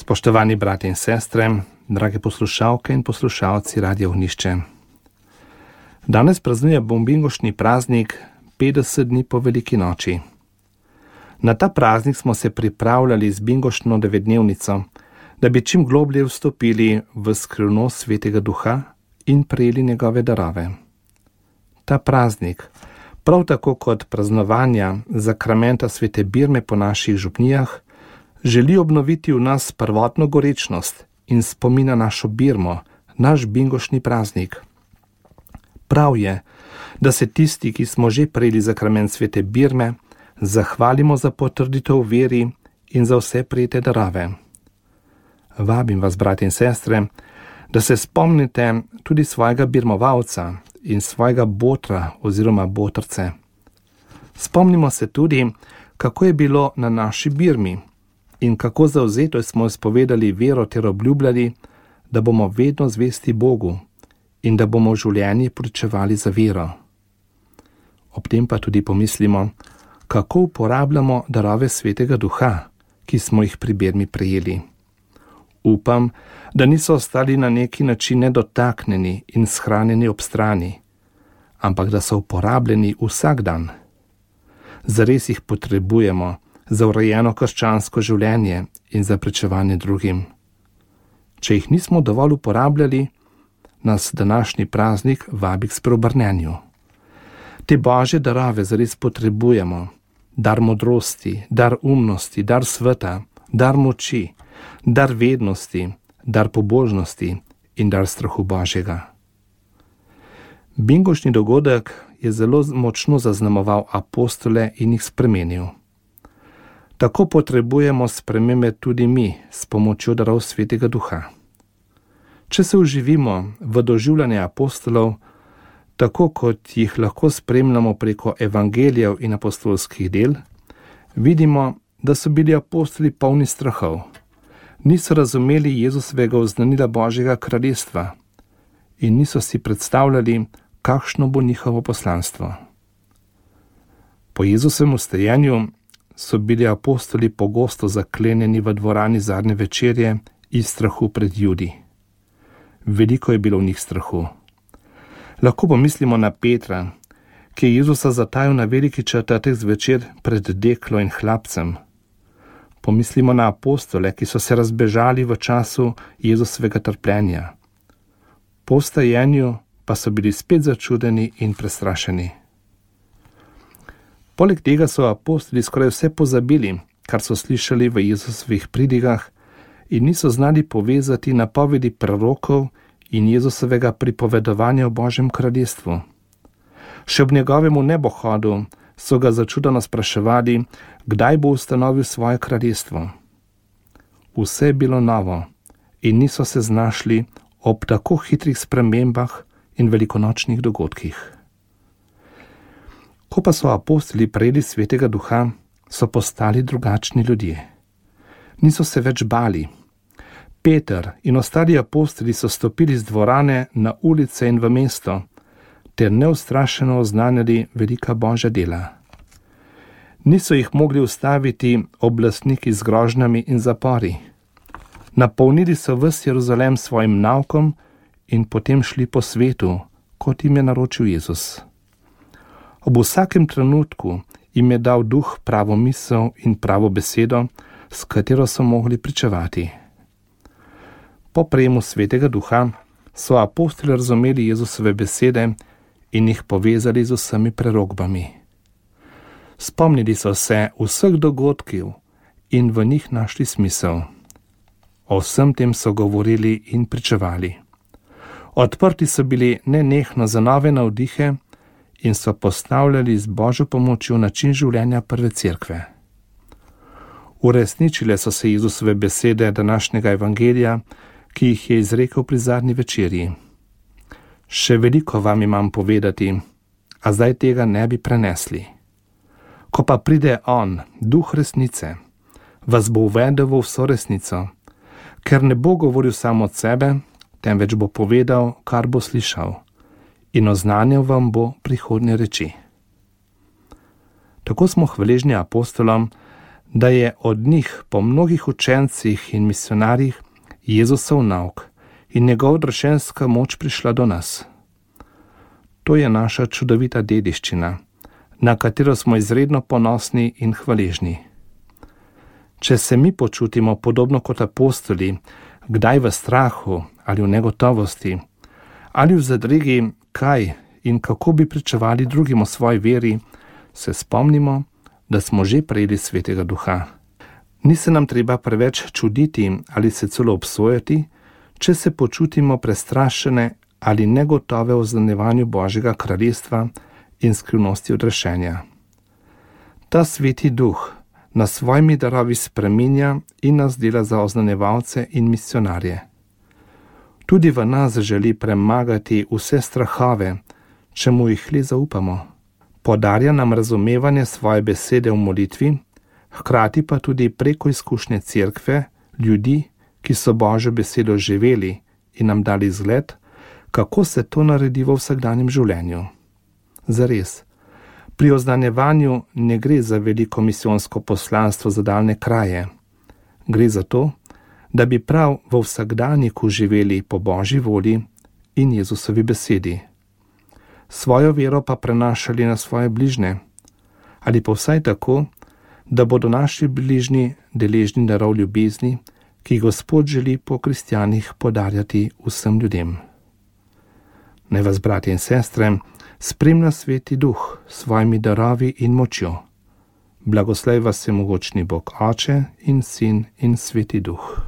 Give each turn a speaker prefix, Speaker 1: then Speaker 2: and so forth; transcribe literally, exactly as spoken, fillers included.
Speaker 1: Spoštovani brati in sestre, drage poslušalke in poslušalci Radia Ognišče. Danes praznujemo bingoštni praznik petdeset dni po veliki noči. Na ta praznik smo se pripravljali z bingoštno devetdnevnico, da bi čim globlje vstopili v skrivnost Svetega Duha in prejeli njegove darove. Ta praznik, prav tako kot praznovanja zakramenta svete birme po naših župnijah, želi obnoviti v nas prvotno gorečnost in spomina našo birmo, naš bingoštni praznik. Prav je, da se tisti, ki smo že prejeli zakrament svete birme, zahvalimo za potrditev v veri in za vse prejete darove. Vabim vas, brati in sestre, da se spomnite tudi svojega birmovalca in svojega botra oziroma botrce. Spomnimo se tudi, kako je bilo na naši birmi in kako zavzeto smo izpovedali vero ter obljubljali, da bomo vedno zvesti Bogu in da bomo v življenju pričevali za vero. Ob tem pa tudi pomislimo, kako uporabljamo darove Svetega Duha, ki smo jih pri birmi prejeli. Upam, da niso ostali na neki način nedotaknjeni in shranjeni ob strani, ampak da so uporabljeni vsak dan. Zares jih potrebujemo za urejeno krščansko življenje in za pričevanje drugim. Če jih nismo dovolj uporabljali, nas današnji praznik vabi k spreobrnenju. Te božje darove zares potrebujemo, dar modrosti, dar umnosti, dar sveta, dar moči, dar vednosti, dar pobožnosti in dar strahu Božjega. Bingoštni dogodek je zelo močno zaznamoval apostole in jih spremenil. Tako potrebujemo spremembe tudi mi s pomočjo darov Svetega Duha. Če se uživimo v doživljanje apostolov, tako kot jih lahko spremljamo preko evangelijev in apostolskih del, vidimo, da so bili apostoli polni strahov. Niso razumeli Jezusovega oznanila Božjega kraljestva in niso si predstavljali, kakšno bo njihovo poslanstvo. Po Jezusovem vstajenju so bili apostoli pogosto zaklenjeni v dvorani zadnje večerje iz strahu pred Judi. Veliko je bilo v njih strahu. Lahko pomislimo na Petra, ki je Jezusa zatajil na veliki četrtek zvečer pred deklo in hlapcem. Pomislimo na apostole, ki so se razbežali v času Jezusovega trpljenja. Po vstajenju pa so bili spet začudeni in prestrašeni. Poleg tega so apostoli skoraj vse pozabili, kar so slišali v Jezusovih pridigah in niso znali povezati napovedi prorokov in Jezusovega pripovedovanja o Božjem kraljestvu. Še ob njegovemu nebohodu so ga začudeno spraševali, kdaj bo ustanovil svoje kraljestvo. Vse je bilo novo in niso se znašli ob tako hitrih spremembah in velikonočnih dogodkih. Ko pa so apostoli prejeli Svetega Duha, so postali drugačni ljudje. Niso se več bali. Peter in ostali apostoli so stopili z dvorane na ulice in v mesto, ter neustrašeno oznanjali velika Božja dela. Niso jih mogli ustaviti oblastniki z grožnjami in zapori. Napolnili so ves Jeruzalem svojim naukom in potem šli po svetu, kot jim je naročil Jezus. Ob vsakem trenutku jim je dal Duh pravo misel in pravo besedo, s katero so mogli pričevati. Po prejemu Svetega Duha so apostoli razumeli Jezusove besede in jih povezali z vsemi prerogbami. Spomnili so se vseh dogodkov in v njih našli smisel. O vsem tem so govorili in pričevali. Odprti so bili nenehno za nove navdihe in so postavljali z Božjo pomočjo način življenja prve cerkve. Uresničile so se Jezusove besede današnjega evangelija, ki jih je izrekel pri zadnji večerji. Še veliko vam imam povedati, a zdaj tega ne bi prenesli. Ko pa pride on, Duh resnice, vas bo uvedel v vso resnico, ker ne bo govoril samo od sebe, temveč bo povedal, kar bo slišal, in oznanil vam bo prihodnje reči. Tako smo hvaležni apostolom, da je od njih po mnogih učencih in misionarjih Jezusov nauk in njegov odrešenska moč prišla do nas. To je naša čudovita dediščina, na katero smo izredno ponosni in hvaležni. Če se mi počutimo podobno kot apostoli, kdaj v strahu ali v negotovosti, ali v zadregi, kaj in kako bi pričevali drugim o svoji veri, se spomnimo, da smo že prejeli Svetega Duha. Ni se nam treba preveč čuditi ali se celo obsojati, če se počutimo prestrašene ali negotove o zaznavanju Božjega kraljestva in skrivnosti odrešenja. Ta Sveti Duh nas svojimi darovi spreminja in nas dela za oznanjevalce in misionarje. Tudi v nas želi premagati vse strahove, če mu jih le zaupamo. Podarja nam razumevanje svoje besede v molitvi, hkrati pa tudi preko izkušnje cerkve, ljudi, ki so Božjo besedo živeli in nam dali zgled, kako se to naredi v vsakdanjem življenju. Zares, pri oznanjevanju ne gre za veliko misijonsko poslanstvo za daljne kraje. Gre za to, da bi prav v vsakdanjiku živeli po Božji volji in Jezusovi besedi. Svojo vero pa prenašali na svoje bližne, ali pa vsaj tako, da bodo naši bližnji deležni darov ljubezni, ki Gospod želi po kristjanih podarjati vsem ljudem. Naj vas, bratje in sestre, spremlja Sveti Duh s svojimi darovi in močjo. Blagoslej vas vsemogočni Bog Oče in Sin in Sveti Duh.